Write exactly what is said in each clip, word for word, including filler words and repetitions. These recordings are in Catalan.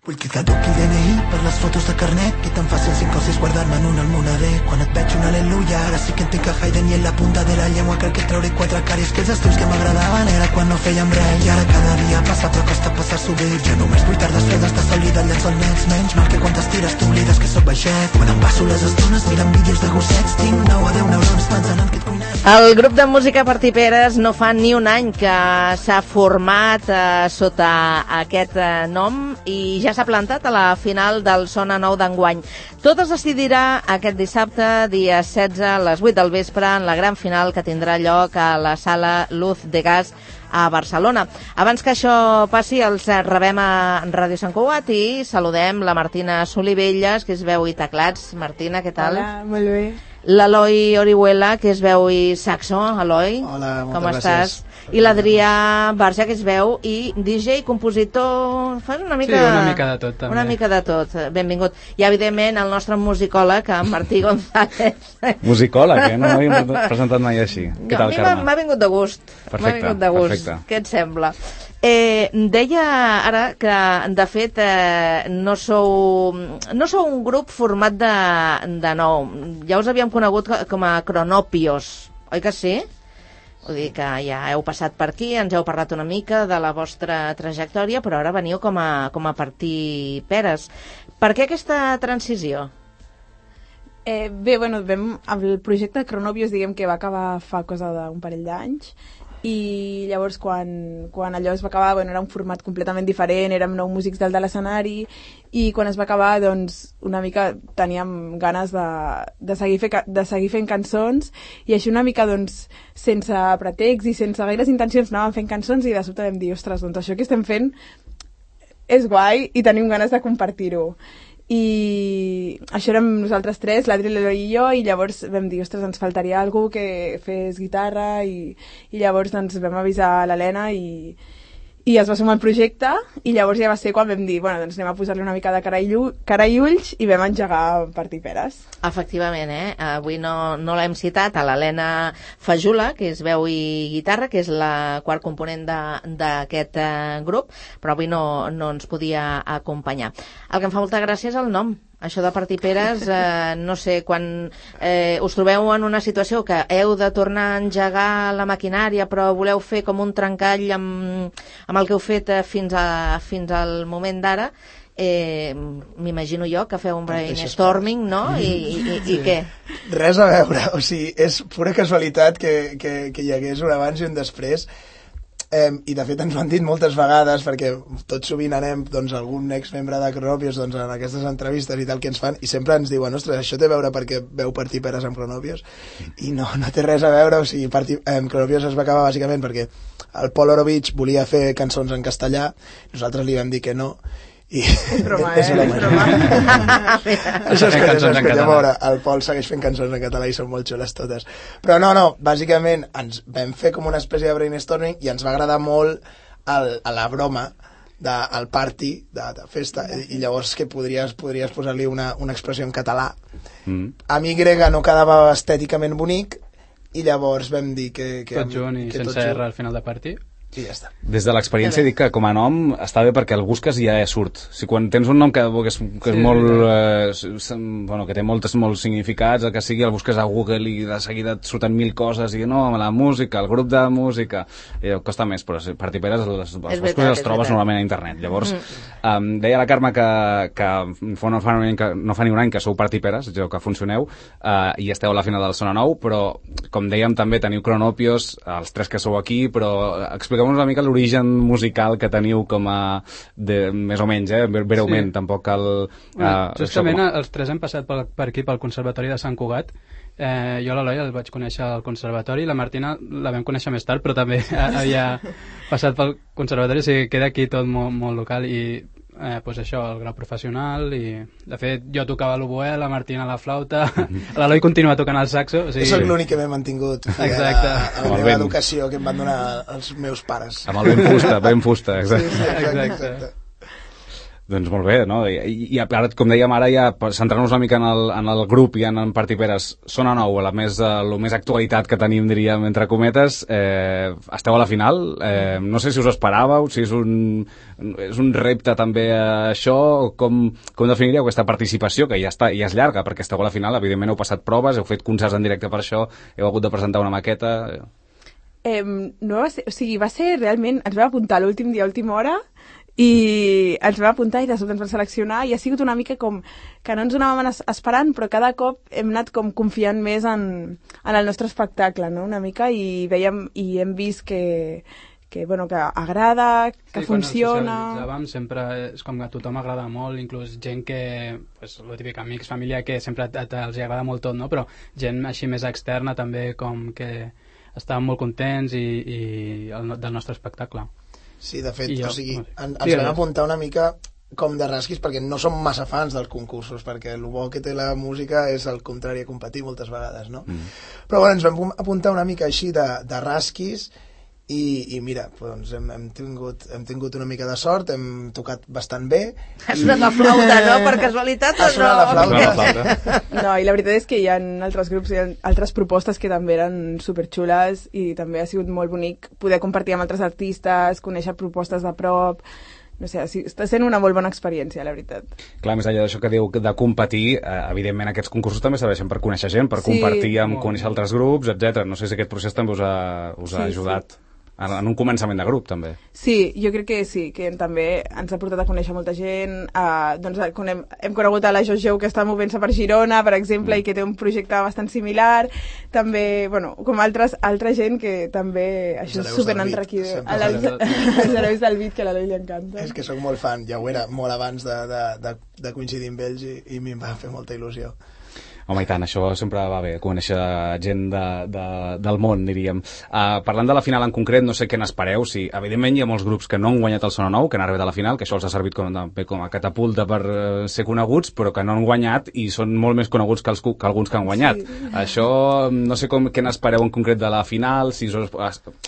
Vull que caduqui el D N I per les fotos de carnet, que tan fàcil cinc o sis guardar-me en un almohader. Quan et veig un aleluia, ara sí que entenc que Haydn i en la punta de la llengua crec que treuré quatre caris, que els estius que m'agradaven era quan no fèiem res. I ara cada dia passa però costa passar-s'ho bé. Jo només vull tardes fredes de sol i del llençol nets, menys mal que quan t'estires t'oblides que sóc baixet. Quan em passo les estones mirant vídeos de gossets, tinc nou a deu neurons pensant en que et cuinem. El grup de música Partir Peres no fa ni un any que s'ha format eh, sota aquest eh, nom i ja s'ha plantat a la final del Sona Nou d'enguany. Tot es decidirà aquest dissabte, dia setze, a les vuit del vespre, en la gran final que tindrà lloc a la sala Luz de Gas a Barcelona. Abans que això passi, els rebem a Ràdio Sant Cugat i saludem la Martina Solivelles, que és veu i teclats. Martina, què tal? Hola, molt bé. L'Eloi Orihuela, que és veu i saxo. Eloi, hola, moltes com gràcies. Estàs? I l'Adrià Barja, que és veu i D J, compositor... Fas una mica... Sí, una mica de tot, també. Una mica de tot, benvingut. I, evidentment, el nostre musicòleg, en Martí González. Musicòleg, eh? No m'havien presentat mai així. Què tal, Carme? A mi m'ha vingut de gust. Perfecte, m'ha vingut de gust. perfecte. Què et sembla? Eh, deia ara que, de fet, eh, no sou no sou un grup format de, de nou. Ja us havíem conegut com a Cronopios, oi que sí? Vull dir que ja heu passat per aquí, ens heu parlat una mica de la vostra trajectòria, però ara veniu com a, com a Partir Peres. Per què aquesta transició? Eh, bé, bueno, vam, el projecte de Cronopios, diguem que va acabar fa cosa d'un parell d'anys, i llavors quan, quan allò es va acabar, bueno, era un format completament diferent, érem nou músics dalt de l'escenari, i quan es va acabar, doncs, una mica teníem ganes de, de, seguir, fe, de seguir fent cançons, i així una mica, doncs, sense pretext i sense gaires intencions anàvem fent cançons, i de sobte vam dir, ostres, doncs això que estem fent és guai i tenim ganes de compartir-ho. I això érem nosaltres tres, l'Adri, l'Eloi i jo, i llavors vam dir, ostres, ens faltaria algú que fes guitarra, i, i llavors doncs, vam avisar l'Helena i, i es va sumar al projecte, i llavors ja va ser quan vam dir, bueno, doncs anem a posar-li una mica de cara i, llu, cara i ulls, i vam engegar Partir Peres. Efectivament, eh? Avui no, no l'hem citat, a l'Helena Fajula, que és veu i guitarra, que és la quart component d'aquest eh, grup, però avui no, no ens podia acompanyar. El que em fa molta gràcia és el nom. Això de Partir Peres, eh, no sé, quan eh, us trobeu en una situació que heu de tornar a engegar la maquinària, però voleu fer com un trencall amb, amb el que heu fet eh, fins, a, fins al moment d'ara, eh, m'imagino jo que feu un brainstorming, no? I, i, i, i què? Res a veure, o sigui, és pura casualitat que, que, que hi hagués un abans i un després. Eh, i de fet ens ho han dit moltes vegades, perquè tot sovint anem, doncs, algun exmembre de Cronopios, doncs, en aquestes entrevistes i tal que ens fan, i sempre ens diuen, ostres, això té a veure perquè veu Partir Peres amb Cronopios, i no, no té res a veure. O sigui, Partir, eh, Cronopios es va acabar bàsicament perquè el Pol Orovich volia fer cançons en castellà, nosaltres li vam dir que no, i... És broma, eh? És broma. És broma. Això és que, és que ja veure, el Pol segueix fent cançons en català i són molt xules totes. Però no, no, bàsicament ens vam fer com una espècie de brainstorming i ens va agradar molt el, a la broma del party, de, de festa, i llavors que podries, podries posar-li una, una expressió en català. Mm. A mi grega no quedava estèticament bonic i llavors vam dir que... que tot junt i que sense tot R al final de partir. I ja està. Des de l'experiència dic que com a nom està bé perquè el busques i ja surt. Si quan tens un nom que, que és, que és sí, molt eh, bueno, que té moltes molts significats, el que sigui, el busques a Google i de seguida et surten mil coses i no, la música, el grup de música, i costa més, però Partir Peres els, els busques i els trobes normalment a internet. Llavors, mm. um, deia la Carme que, que fa no, fa que no fa ni un any que sou Partir Peres, que funcioneu, uh, i esteu a la final del Sona Nou, però com dèiem també teniu Cronopios, els tres que sou aquí, però expliqueu una mica l'origen musical que teniu com a... De, més o menys, eh? Breument, sí. Tampoc cal... Bueno, uh, justament com... els tres hem passat per, per aquí, pel Conservatori de Sant Cugat. Eh, jo l'Eloi el vaig conèixer al Conservatori, la Martina la vam conèixer més tard, però també havia passat pel Conservatori, o sigui, queda aquí tot molt, molt local i... Eh, pues això, el grau professional i de fet jo tocava l'oboè, la Martina la flauta, l'Eloi continua tocant el saxo, o sigui... Jo soc l'únic que m'he mantingut exacte. A, a la meva educació que em van donar els meus pares amb el ben fusta, ben fusta, exacte. Sí, sí, exacte, exacte. Doncs molt bé, no? I, i ara, com dèiem ara, ja centrant-nos una mica en el, en el grup i en, en Partiperes, Sona Nou, la més, el més actualitat que tenim, diríem, entre cometes, eh, esteu a la final, eh, no sé si us esperàveu, si és un, és un repte també a això, com, com definiríeu aquesta participació, que ja, està, ja és llarga, perquè esteu a la final, evidentment heu passat proves, heu fet concerts en directe per això, heu hagut de presentar una maqueta... Eh, no va ser, o sigui, va ser realment, ens vam apuntar l'últim dia, última hora, i ens vam apuntar i de sobte ens van seleccionar i ha sigut una mica com que no ens anàvem esperant, però cada cop hem anat com confiant més en, en el nostre espectacle, no? Una mica, i veiem i hem vist que, que, bueno, que agrada, que sí, funciona... Sí, quan ens sempre és com que a tothom agrada molt, inclús gent que, pues, lo típic, amics, família, que sempre els agrada molt tot, no? Però gent així més externa també, com que estàvem molt contents i, i el, del nostre espectacle. Sí, de fet, jo, o sigui, no sé. en, ens sí, vam apuntar una mica com de rasquis perquè no som massa fans dels concursos, perquè el bo que té la música és el contrari a competir moltes vegades, no? Mm. Però bueno, ens vam apuntar una mica així de, de rasquis i, i mira, doncs hem, hem, tingut, hem tingut una mica de sort, hem tocat bastant bé. Ha sonat la flauta, no? Per casualitat o no? Ha sonat la flauta. No, i la veritat és que hi ha altres grups, hi ha altres propostes que també eren superxules i també ha sigut molt bonic poder compartir amb altres artistes, conèixer propostes de prop... No sé, està sent una molt bona experiència, la veritat. Clar, més enllà d'això que diu de competir, eh, evidentment aquests concursos també serveixen per conèixer gent, per sí, compartir amb conèixer altres grups, etcètera. No sé si aquest procés també us ha, us ha sí, ajudat. Sí. En, en un començament de grup, també. Sí, jo crec que sí, que també ens ha portat a conèixer molta gent. Uh, doncs hem, hem conegut a la Jojo, que està movent-se per Girona, per exemple, mm. i que té un projecte bastant similar. També, bueno, com altres, altra gent que també... Això és superenriquidor. Els herois del beat, que a l'Eloi li encanta. És que sóc molt fan, ja ho era molt abans de, de, de, de coincidir amb ells i, i m'hi va fer molta il·lusió. Home, i tant, això sempre va bé, conèixer gent de, de, del món, diríem. Uh, parlant de la final en concret, no sé què n'espereu, si evidentment hi ha molts grups que no han guanyat el Sona Nou, que han arribat a la final, que això els ha servit com, com a catapulta per uh, ser coneguts, però que no han guanyat i són molt més coneguts que, els, que alguns que han guanyat. Sí. Això, no sé com, què n'espereu en concret de la final, si us,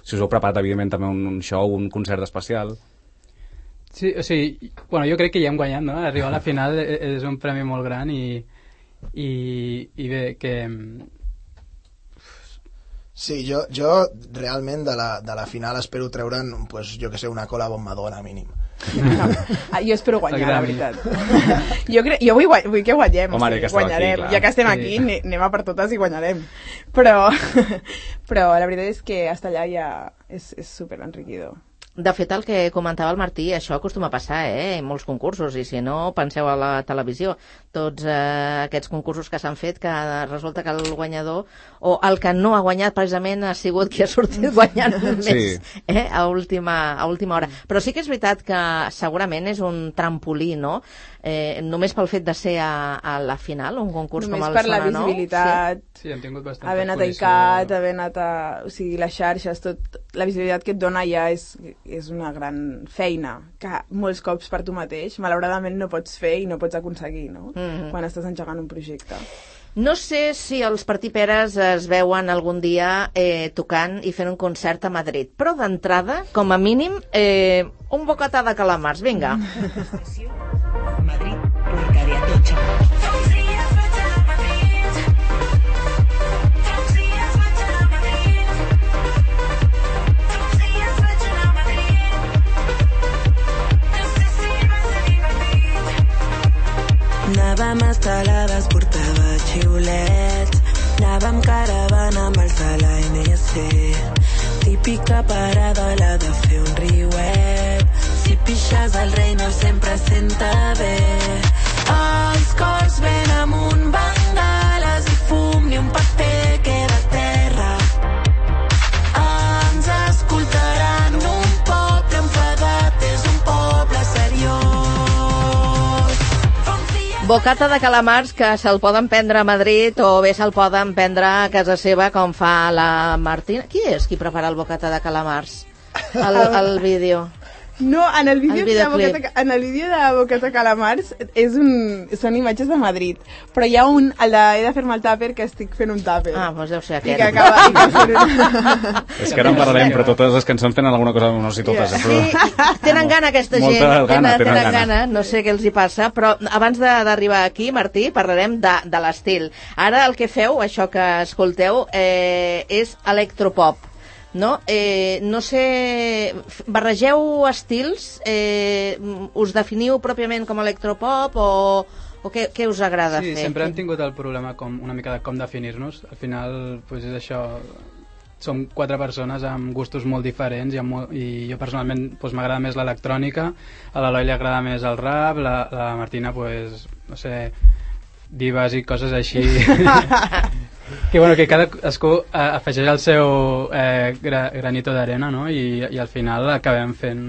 si us heu preparat, evidentment, també un, un show, un concert especial. Sí, o sigui, bueno, jo crec que ja hem guanyat, no? Arribar a la final és un premi molt gran i I, i bé, que... Sí, jo, jo realment de la, de la final espero treure'n, pues, jo que sé, una cola amb Madonna, mínim. No. Ah, jo espero guanyar, la veritat. Jo, crec, jo vull, vull que guanyem. Home, que guanyarem. Aquí, ja que estem aquí, sí. Anem a per totes i guanyarem. Però, però la veritat és que estar allà ja és, és super enriquidor. De fet, el que comentava el Martí, això acostuma a passar, eh? En molts concursos, i si no, penseu a la televisió. Tots eh, aquests concursos que s'han fet, que resulta que el guanyador, o el que no ha guanyat precisament, ha sigut qui ha sortit guanyant més, sí. eh? A última, a última hora. Però sí que és veritat que segurament és un trampolí, no? Eh, només pel fet de ser a, a la final, un concurs només com el per Sona Nou. La visibilitat, sí. Sí, hem tingut bastanta haver anat a I C A T, haver anat a... O sigui, les xarxes, tot, la visibilitat que et dona ja és, és una gran feina, que molts cops per tu mateix, malauradament no pots fer i no pots aconseguir, no? Mm-hmm. Quan estàs engegant un projecte. No sé si els Partiperes es veuen algun dia eh, tocant i fent un concert a Madrid, però d'entrada, com a mínim, eh, un bocatà de calamars, vinga. Madrid, Porca de Atocha. Anàvem estelades, portava xiulets, anàvem caravana amb els de l'A N C. Típica parada la de fer un riuet, si pixes el rei no sempre senta bé. Els cors ven amunt, bengales i fum, ni un paper queda a terra. Ens escoltaran un poble enfadat, és un poble seriós. Bocata de calamars que se'l poden prendre a Madrid o bé se'l poden prendre a casa seva com fa la Martina. Qui és qui prepara el bocata de calamars? El, el vídeo. No, en el vídeo El de videoclip. Bocata, en el vídeo de Bocata Calamars és un, són imatges de Madrid, però hi ha un, el de He de fer-me el tàper, que estic fent un tàper. Ah, doncs deu ser I aquest. que acaba... I que fer un... És que ara en parlarem, però totes les cançons tenen alguna cosa, no sé si totes, eh, però... Sí, tenen gana aquesta Molta gent, gana, tenen, tenen tenen gana. gana, no sé què els hi passa, però abans de- d'arribar aquí, Martí, parlarem de, de l'estil. Ara el que feu, això que escolteu, eh, és electropop. No? Eh, no sé, barregeu estils, eh, us definiu pròpiament com electropop o, o què, què us agrada Sí, fer? sempre hem tingut el problema com una mica de com definir-nos. Al final, pues, és això, som quatre persones amb gustos molt diferents i, amb molt, i jo personalment pues, m'agrada més l'electrònica, a l'Eloi li agrada més el rap, la, la Martina, pues, no sé, divas i coses així. Que, bueno, que cada escú eh, afegeix el seu eh, gra, granito d'arena, no? I, i al final acabem fent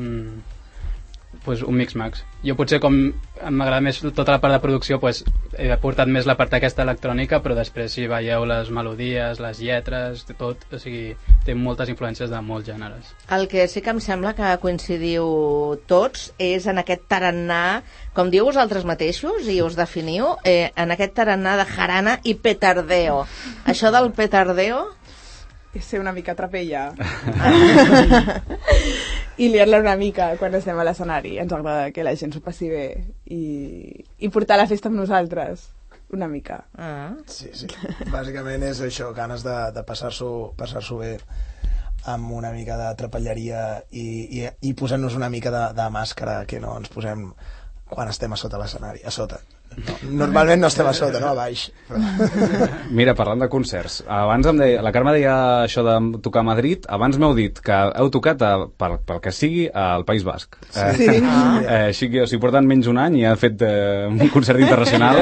pues, un mix-max. Jo potser com m'agrada més tota la part de producció, pues, he portat més la part aquesta electrònica, però després si veieu les melodies, les lletres, tot, o sigui, té moltes influències de molts gèneres. El que sí que em sembla que coincidiu tots és en aquest tarannà, com diu vosaltres mateixos i us definiu, eh, en aquest tarannà de jarana i petardeo. Això del petardeo... És ser una mica trapella. I liar-la una mica quan estem a l'escenari. Ens agrada que la gent s'ho passi bé i, i portar la festa amb nosaltres. Una mica. Ah. Sí, sí. Bàsicament és això, ganes de, de passar-s'ho passar-s'ho bé amb una mica de trapelleria i, i, i posant-nos una mica de, de màscara que no ens posem quan estem a sota l'escenari, a sota. No, normalment no estem a sota, no a baix. Però... Mira, parlant de concerts, abans em deia, la Carme deia això de tocar a Madrid, abans m'heu dit que heu tocat, a, pel, pel que sigui, al País Basc. Sí. Eh, eh, així que, o sigui, porten menys un any i ha fet eh, un concert internacional.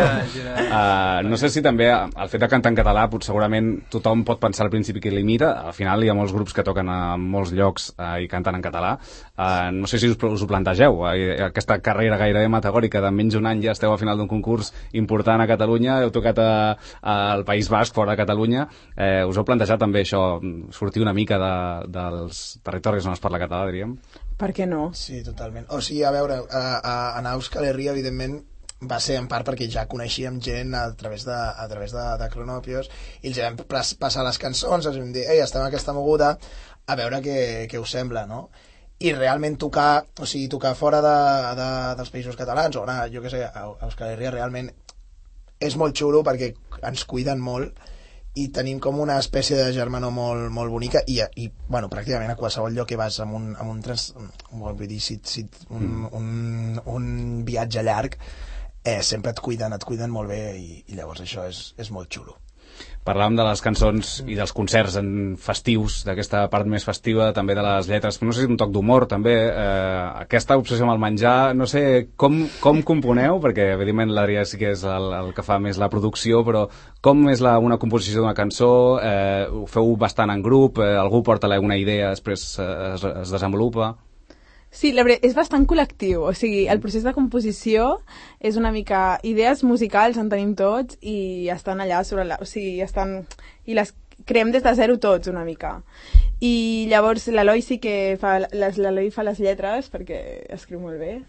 Eh, no sé si també el fet de cantar en català, pot, segurament tothom pot pensar al principi que limita, al final hi ha molts grups que toquen a molts llocs eh, i canten en català. Eh, no sé si us, us ho plantegeu, eh, aquesta carrera gairebé metagòrica de menys un any ja esteu a final d'un concurs important a Catalunya, heu tocat a, a, al País Basc, fora de Catalunya, eh, us heu plantejat també això, sortir una mica de, dels territoris on es parla català, diríem? Per què no? Sí, totalment. O sigui, a veure, a, a, a Euskal Herria, evidentment, va ser en part perquè ja coneixíem gent a través de, a través de, de Cronopios i els vam passar les cançons, els vam dir, ei, estem en aquesta moguda, a veure què, què us sembla, no? I realment tocar, o sigui, tocar fora de, de, dels països catalans o anar, jo què sé, a Euskal Herria realment és molt xulo perquè ens cuiden molt i tenim com una espècie de germanor molt, molt bonica i, i bueno, pràcticament a qualsevol lloc que vas amb un, amb un, trans, vull dir, si, si, un, un, un viatge llarg eh, sempre et cuiden, et cuiden molt bé i, i llavors això és, és molt xulo. Parlàvem de les cançons i dels concerts en festius, d'aquesta part més festiva, també de les lletres, no sé si un toc d'humor també, eh, aquesta obsessió amb el menjar, no sé com, com componeu, perquè evidentment l'Adrià sí que és el, el que fa més la producció, però com és la, una composició d'una cançó, eh, ho feu bastant en grup, eh, algú porta una idea, després eh, es, es desenvolupa... Sí, la veritat, és bastant col·lectiu, o sigui, el procés de composició és una mica... Idees musicals en tenim tots i estan allà sobre la... O sigui, estan... I les creem des de zero tots, una mica. I llavors l'Eloi sí que fa... L'Eloi fa les lletres, perquè escriu molt bé.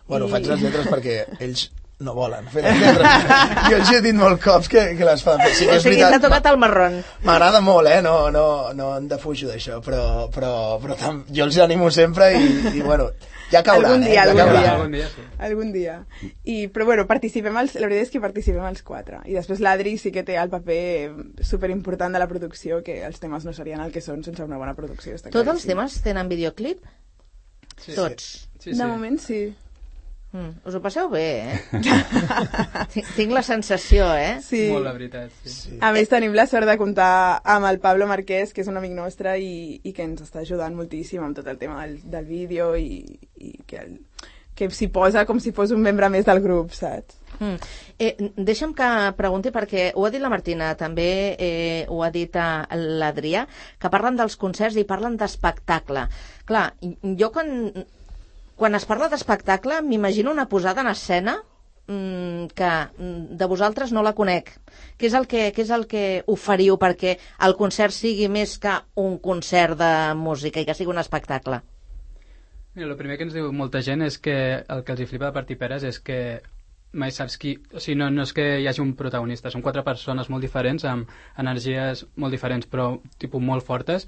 Bueno, I... faig les lletres perquè ells no volen fer les lletres. Jo els he dit molt cops que, que les fan. Sí, O sigui, t'ha tocat el marrón. M'agrada molt, eh? No, no, no en defujo d'això, però, però, però tam, jo els animo sempre i, i bueno, ja caurà, algun dia, eh? Ja algun caurà. dia. Algun dia, sí. Algun dia. I, però bueno, participem els, la veritat és que participem els quatre. I després l'Adri sí que té el paper superimportant de la producció, que els temes no serien el que són sense una bona producció. Està Tots els claríssim. temes tenen videoclip? Sí. Tots. Sí, sí. De moment sí. Mm, us ho passeu bé, eh? tinc, tinc la sensació, eh? Sí. Molt la veritat, sí. Sí. A més, tenim la sort de comptar amb el Pablo Marquès, que és un amic nostre i, i que ens està ajudant moltíssim amb tot el tema del, del vídeo i, i que, el, que s'hi posa com si fos un membre més del grup, saps? Mm. Eh, deixa'm que pregunti, perquè ho ha dit la Martina, també eh, ho ha dit l'Adrià, que parlen dels concerts i parlen d'espectacle. Clar, jo quan... Quan es parla d'espectacle, m'imagino una posada en escena mmm, que de vosaltres no la conec. Què és el que, què és el que oferiu perquè el concert sigui més que un concert de música i que sigui un espectacle? Mira, el primer que ens diu molta gent és que el que els hi flipa de Partir Peres és que mai saps qui... O sigui, no, no és que hi hagi un protagonista, són quatre persones molt diferents, amb energies molt diferents, però tipus molt fortes,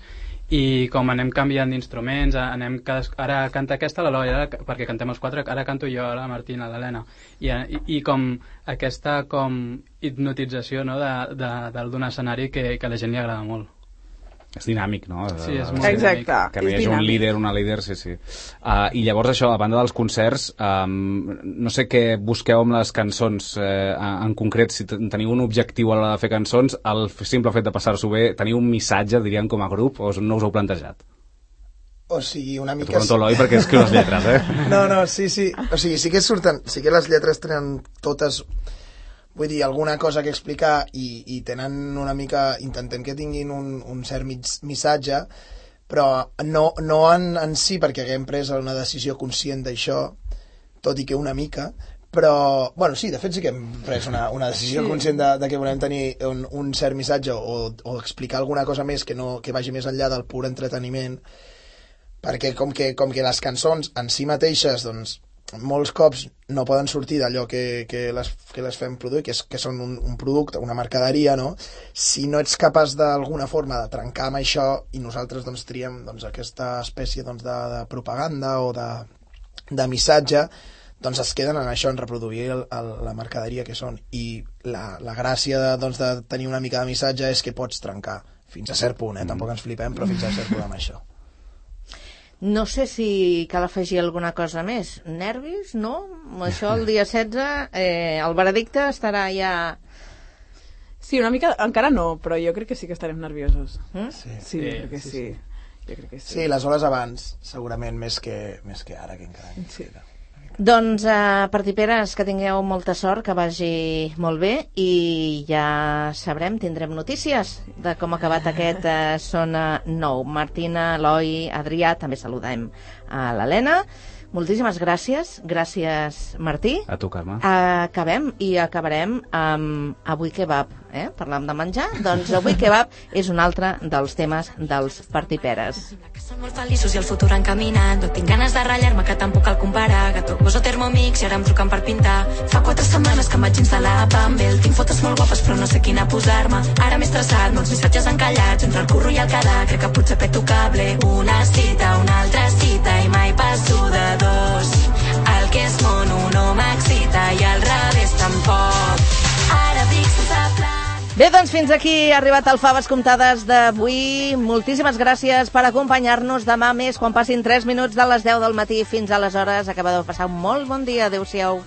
i com anem canviant d'instruments, anem cada... ara canta aquesta l'Eloi, perquè cantem els quatre, ara canto jo, la Martina, l'Helena, i, i, i com aquesta com hipnotització, no, de, de, d'un escenari que, que a la gent li agrada molt. És dinàmic, no? Sí, és molt Exacte, dinàmic. Que no hi hagi un líder, una líder, sí, sí. Uh, I llavors això, a banda dels concerts, um, no sé què busqueu amb les cançons, eh, en concret, si teniu un objectiu a l'hora de fer cançons, el simple fet de passar-s'ho bé, teniu un missatge, diríem, com a grup, o no us heu plantejat? O sigui, una mica... T'ho pregunto l'Eloi perquè escriu les lletres, eh? No, no, sí, sí. O sigui, sí que surten, sí que les lletres tenen totes... Vull dir, alguna cosa que explicar i, i tenen una mica... Intentem que tinguin un, un cert missatge, però no, no en, en si perquè haguem pres una decisió conscient d'això, tot i que una mica, però... Bueno, sí, de fet sí que hem pres una, una decisió sí. conscient de, de que volem tenir un, un cert missatge o, o explicar alguna cosa més que, no, que vagi més enllà del pur entreteniment, perquè com que, com que les cançons en si mateixes, doncs, molts cops no poden sortir d'allò que, que, les, que les fem produir, que, és, que són un, un producte, una mercaderia, no? Si no ets capaç d'alguna forma de trencar amb això i nosaltres doncs, triem doncs, aquesta espècie doncs, de, de propaganda o de, de missatge, doncs es queden en això, en reproduir el, el, la mercaderia que són. I la, la gràcia de, doncs, de tenir una mica de missatge és que pots trencar, fins a cert punt, eh? Tampoc ens flipem, però fins a cert punt amb això. No sé si cal afegir alguna cosa més. Nervis, no? Això el dia setze, eh, el veredicte estarà ja... Sí, una mica, encara no, però jo crec que sí que estarem nerviosos. Mm? Sí, sí, jo crec que sí. sí. Jo crec que sí. Sí, les hores abans, segurament, més que, més que ara, que encara. Sí. Doncs, uh, Partir Peres, que tingueu molta sort, que vagi molt bé i ja sabrem, tindrem notícies de com ha acabat aquest uh, Sona nou. Martina, Eloi, Adrià, també saludem a l'Helena. Moltíssimes gràcies. Gràcies, Martí. A tu, Carme. Acabem i acabarem amb Avui Kebab. Eh? Parlàvem de menjar? Doncs Avui Kebab és un altre dels temes dels Partir Peres. Som molt feliços i el futur encaminat. No tinc ganes de ratllar-me, que tampoc cal comparar. Gato, poso Thermomix i ara em truquen per pintar. Fa quatre setmanes que em vaig instal·lar a Bumble. Tinc fotos molt guapes però no sé quina posar-me. Ara m'he estressat, molts missatges encallats entre el curro i el quedar. Crec que potser peto cable. Una cita, una altra cita i mai passo de dos. El que és mono no m'excita i al revés tampoc. Ara dic sense plan. Bé, doncs fins aquí ha arribat el Faves Comptades d'avui. Moltíssimes gràcies per acompanyar-nos. Demà més, quan passin tres minuts de les deu del matí fins aleshores. Acabeu de passar un molt bon dia. Adéu-siau.